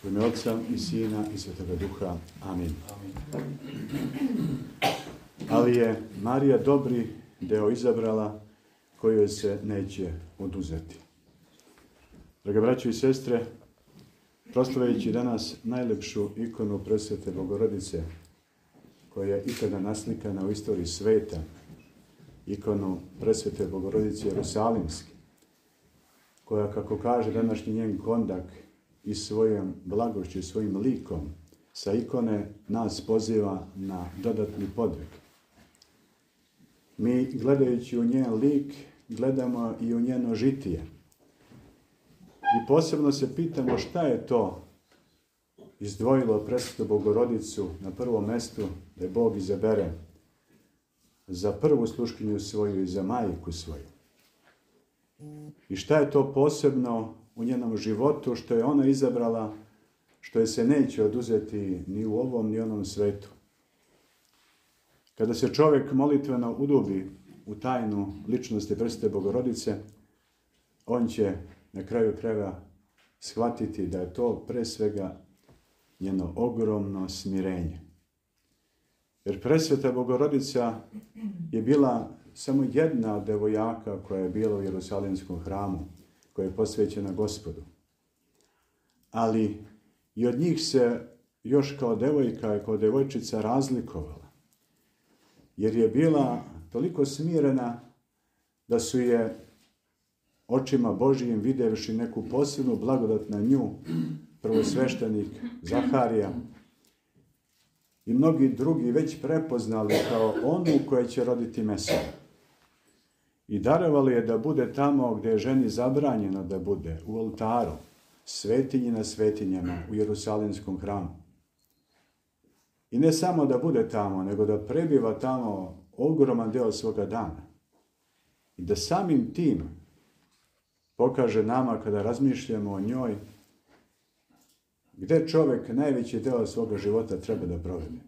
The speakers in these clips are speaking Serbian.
U ime Otca i Sina i Svetoga Duha. Amin. Ali je Marija dobri deo izabrala koju se neće oduzeti. Draga braćo i sestre, proslavljajući danas najlepšu ikonu Presvete Bogorodice koja je ikada naslikana u istoriji sveta, ikonu Presvete Bogorodice Jerusalimske, koja, kako kaže današnji njen kondak, i svojom blagošću i svojim likom sa ikone nas poziva na dodatni podvig. Mi, gledajući u njen lik, gledamo i u njeno žitije. I posebno se pitamo šta je to izdvojilo Presvetu Bogorodicu na prvom mjestu da je Bog izabere za prvu sluškinju svoju i za majku svoju. I šta je to posebno u njenom životu što je ona izabrala, što je se neće oduzeti ni u ovom ni onom svetu. Kada se čovjek molitveno udubi u tajnu ličnosti Presvete Bogorodice, on će na kraju krajeva shvatiti da je to pre svega njeno ogromno smirenje. Jer Presveta Bogorodica je bila samo jedna od devojaka koja je bila u Jerusalimskom hramu, koja je posvećena Gospodu. Ali i od njih se još kao devojka i kao devojčica razlikovala. Jer je bila toliko smirena da su je očima Božijim vidjevši neku posebnu blagodat na nju, prvosveštenik Zaharija i mnogi drugi već prepoznali kao onu koja će roditi Mesiju. I darovali je da bude tamo gdje je ženi zabranjeno da bude, u oltaru, svetinji na svetinjama, u Jerusalimskom hramu. I ne samo da bude tamo, nego da prebiva tamo ogroman deo svoga dana. I da samim tim pokaže nama, kada razmišljamo o njoj, gdje čovjek najveći deo svoga života treba da provede.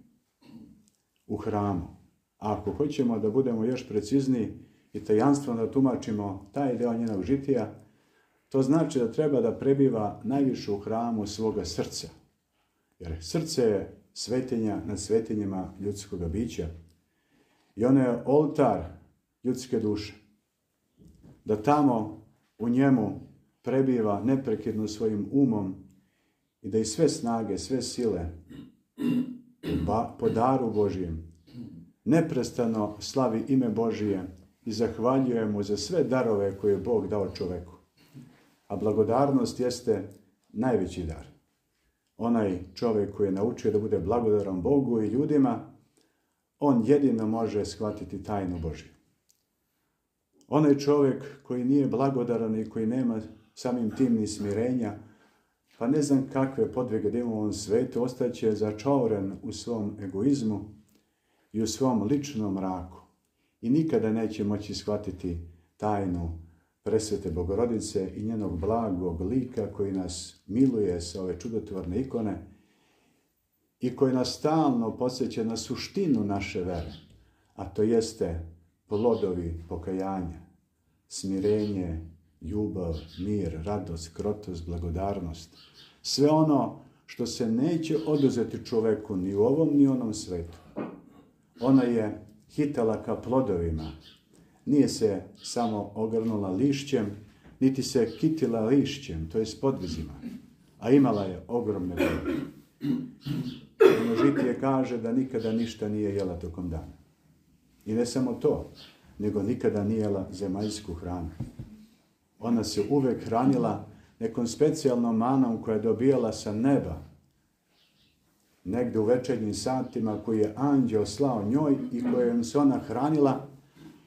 U hramu. A ako hoćemo da budemo još precizniji i tajanstveno da tumačimo taj deo njenog žitija, to znači da treba da prebiva najviše u hramu svoga srca. Jer srce je svetinja nad svetinjima ljudskog bića. I ono je oltar ljudske duše. Da tamo u njemu prebiva neprekidno svojim umom i da i sve snage, sve sile po daru Božijem neprestano slavi ime Božije i zahvaljuje mu za sve darove koje je Bog dao čoveku. A blagodarnost jeste najveći dar. Onaj čovjek koji je naučio da bude blagodaran Bogu i ljudima, on jedino može shvatiti tajnu Božju. Onaj čovjek koji nije blagodaran i koji nema samim tim ni smirenja, pa ne znam kakve podvige da ima u ovom svetu, ostaće začauren u svom egoizmu i u svom ličnom mraku. I nikada neće moći shvatiti tajnu Presvete Bogorodice i njenog blagog lika koji nas miluje sa ove čudotvorne ikone i koji nas stalno podsjeća na suštinu naše vere, a to jeste plodovi pokajanja, smirenje, ljubav, mir, radost, krotost, blagodarnost. Sve ono što se neće oduzeti čoveku ni u ovom ni u onom svetu. Ona je hitala ka plodovima. Nije se samo ogrnula lišćem, niti se kitila lišćem, to je s podvizima, a imala je ogromne plodove. Ono žitije kaže da nikada ništa nije jela tokom dana. I ne samo to, nego nikada nije jela zemaljsku hranu. Ona se uvek hranila nekom specijalnom manom koja je dobijala sa neba, negdje u večernjim satima, koji je anđeo slao njoj i kojom se ona hranila,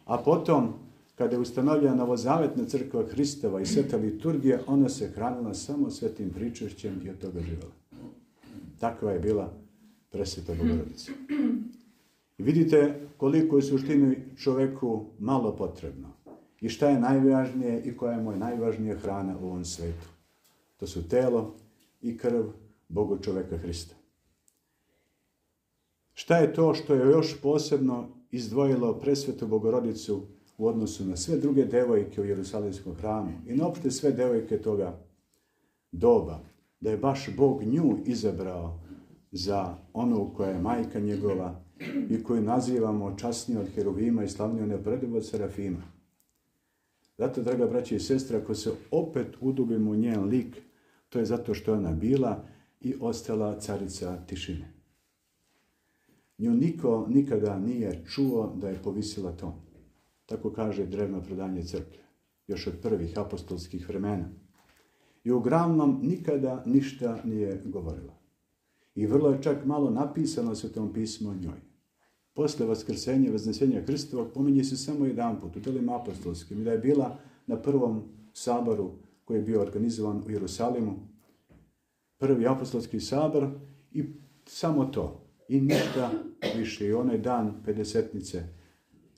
a potom, kada je ustanovljena novozavetna crkva Hristova i sveta liturgija, ona se hranila samo svetim pričešćem i od toga živjela. Takva je bila Presveta Bogorodica. I vidite koliko je suštini čoveku malo potrebno. I šta je najvažnije i koja je moja najvažnija hrana u ovom svetu. To su telo i krv Boga čoveka Hrista. Šta je to što je još posebno izdvojilo Presvetu Bogorodicu u odnosu na sve druge devojke u Jerusalimskom hramu i na opšte sve devojke toga doba, da je baš Bog nju izabrao za onu koja je majka njegova i koju nazivamo časnije od heruvima i slavnije neuporedivo od serafima. Zato, draga braća i sestre, ako se opet udubimo u njen lik, to je zato što je ona bila i ostala carica tišine. Nju niko nikada nije čuo da je povisila ton. Tako kaže drevno predanje crkve, još od prvih apostolskih vremena. I uglavnom nikada ništa nije govorila. I vrlo je čak malo napisano se u tom pismu o njoj. Posle vaskrsenja i vaznesenja Hristovog pominje se samo jedanput u delima apostolskim, da je bila na prvom saboru koji je bio organizovan u Jerusalimu, prvi apostolski sabor i samo to. I ništa više. I onaj dan pedesetnice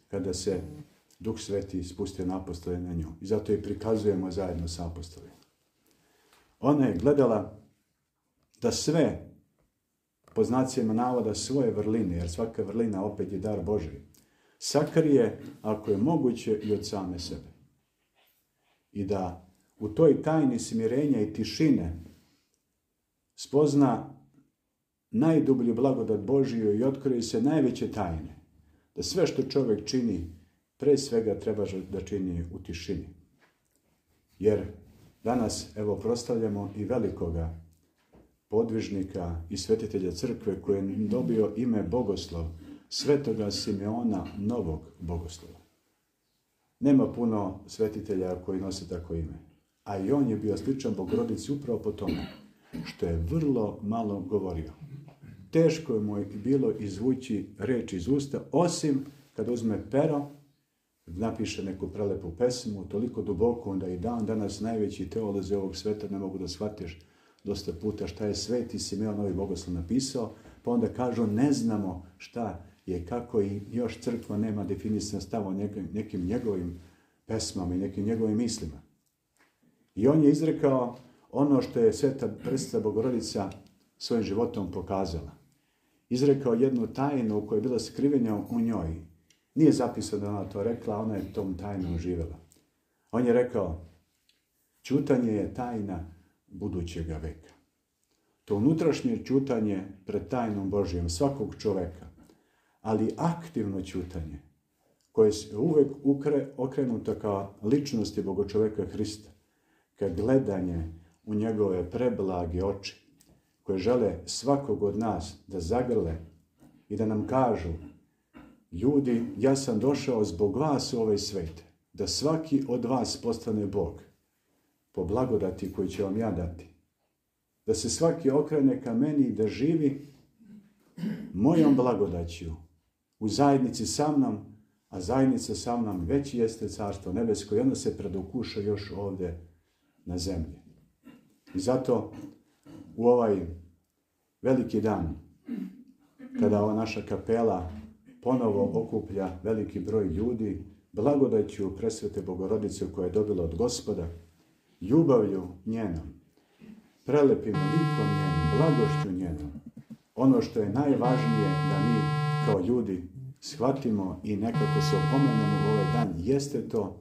kada se Duh Sveti spustio na apostole na nju. I zato je prikazujemo zajedno sa apostolima. Ona je gledala da sve, po znacima navoda, svoje vrline, jer svaka vrlina opet je dar Božji, sakrije, ako je moguće, i od same sebe. I da u toj tajni smirenja i tišine spozna najdublju blagodat Božiju i otkrije se najveće tajne. Da sve što čovjek čini, pre svega treba da čini u tišini. Jer danas, evo, proslavljamo i velikoga podvižnika i svetitelja crkve koji je dobio ime Bogoslov, svetoga Simeona Novog Bogoslova. Nema puno svetitelja koji nose tako ime. A i on je bio sličan Bogorodici upravo po tome što je vrlo malo govorio. Teško je mu bilo izvući reč iz usta, osim kad uzme pero, napiše neku prelepu pesmu, toliko duboko da i dan danas najveći teolozi ovog sveta ne mogu da shvatiš dosta puta šta je sveti Simeon Novi Bogoslov napisao, pa onda kažu ne znamo šta je, kako i još crkva nema definisan stav o nekim njegovim pesmama i nekim njegovim mislima. I on je izrekao ono što je sveta presveta Bogorodica svojim životom pokazala. Izrekao jednu tajnu koja je bila skrivena u njoj. Nije zapisano da ona to rekla, ona je tom tajnom živjela. On je rekao, ćutanje je tajna budućega veka. To unutrašnje ćutanje pred tajnom Božijom svakog čoveka, ali aktivno ćutanje, koje je uvek okrenuto kao ličnosti Bogočoveka Hrista, ka gledanje u njegove preblage oči, koje žele svakog od nas da zagrle i da nam kažu, ljudi, ja sam došao zbog vas u ovaj svet, da svaki od vas postane Bog, po blagodati koju će vam ja dati. Da se svaki okrene ka meni i da živi mojom blagodaću u zajednici sa mnom, a zajednica sa mnom već jeste carstvo nebesko i ono se predokuša još ovdje na zemlji. I zato u ovaj veliki dan, kada ova naša kapela ponovo okuplja veliki broj ljudi, blagodaću presvete Bogorodice koja je dobila od Gospoda, ljubavlju njenom, prelepim likom njenom, blagošću njenom, ono što je najvažnije da mi kao ljudi shvatimo i nekako se opomenemo u ovaj dan, jeste to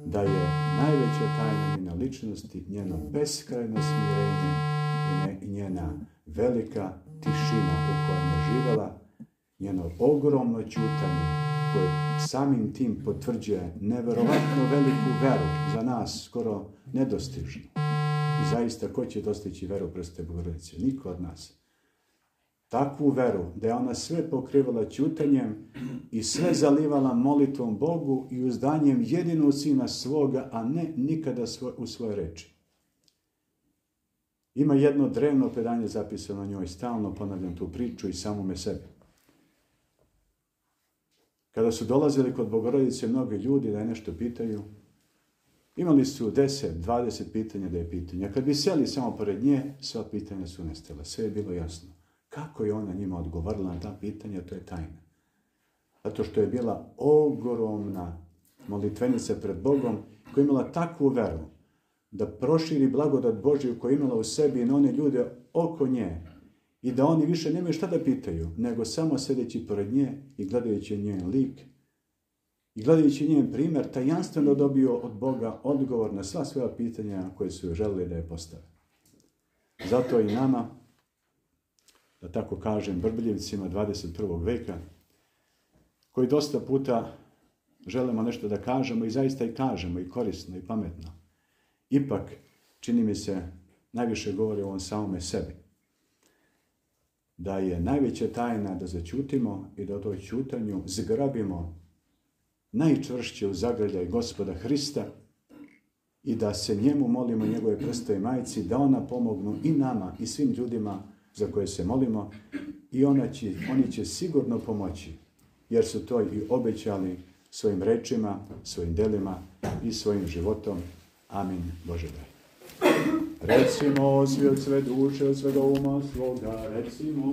da je najveća tajna njena ličnosti, njeno beskrajno smirenje i njena velika tišina u kojoj je živjela, njeno ogromno ćutanje koje samim tim potvrđuje neverovatno veliku veru za nas, skoro nedostižnu. I zaista, ko će dostići veru presvete Bogorodice? Niko od nas. Takvu veru da je ona sve pokrivala ćutanjem i sve zalivala molitvom Bogu i uzdanjem jedinog sina svoga, a ne nikada u svoje reči. Ima jedno drevno predanje zapisano o njoj, stalno ponavljam tu priču i samome sebi. Kada su dolazili kod Bogorodice mnogi ljudi da je nešto pitaju, imali su 10, 20 pitanja da je pitanja. Kad bi seli samo pored nje, sva pitanja su nestala. Sve je bilo jasno. Kako je ona njima odgovorila na ta pitanja, to je tajna. Zato što je bila ogromna molitvenica pred Bogom koja je imala takvu veru da proširi blagodat Božju koju je imala u sebi i na one ljude oko nje i da oni više nemaju šta da pitaju, nego samo sedeći pored nje i gledajući njen lik i gledajući njen primjer, tajanstveno dobio od Boga odgovor na sva svoja pitanja koje su želeli da je postave. Zato i nama, da tako kažem, brbljivcima 21. veka, koji dosta puta želimo nešto da kažemo i zaista i kažemo, i korisno, i pametno. Ipak, čini mi se, najviše govori o ovom samome sebi. Da je najveća tajna da zaćutimo i da o toj ćutanju zgrabimo najčvršće u zagrljaj Gospoda Hrista i da se njemu molimo, njegove prstoj majci, da ona pomognu i nama i svim ljudima za koje se molimo i oni će sigurno pomoći, jer su to i obećali svojim rečima, svojim delima i svojim životom. Amin. Bože daj. Recimo svi od sve duše, od svega uma svoga, recimo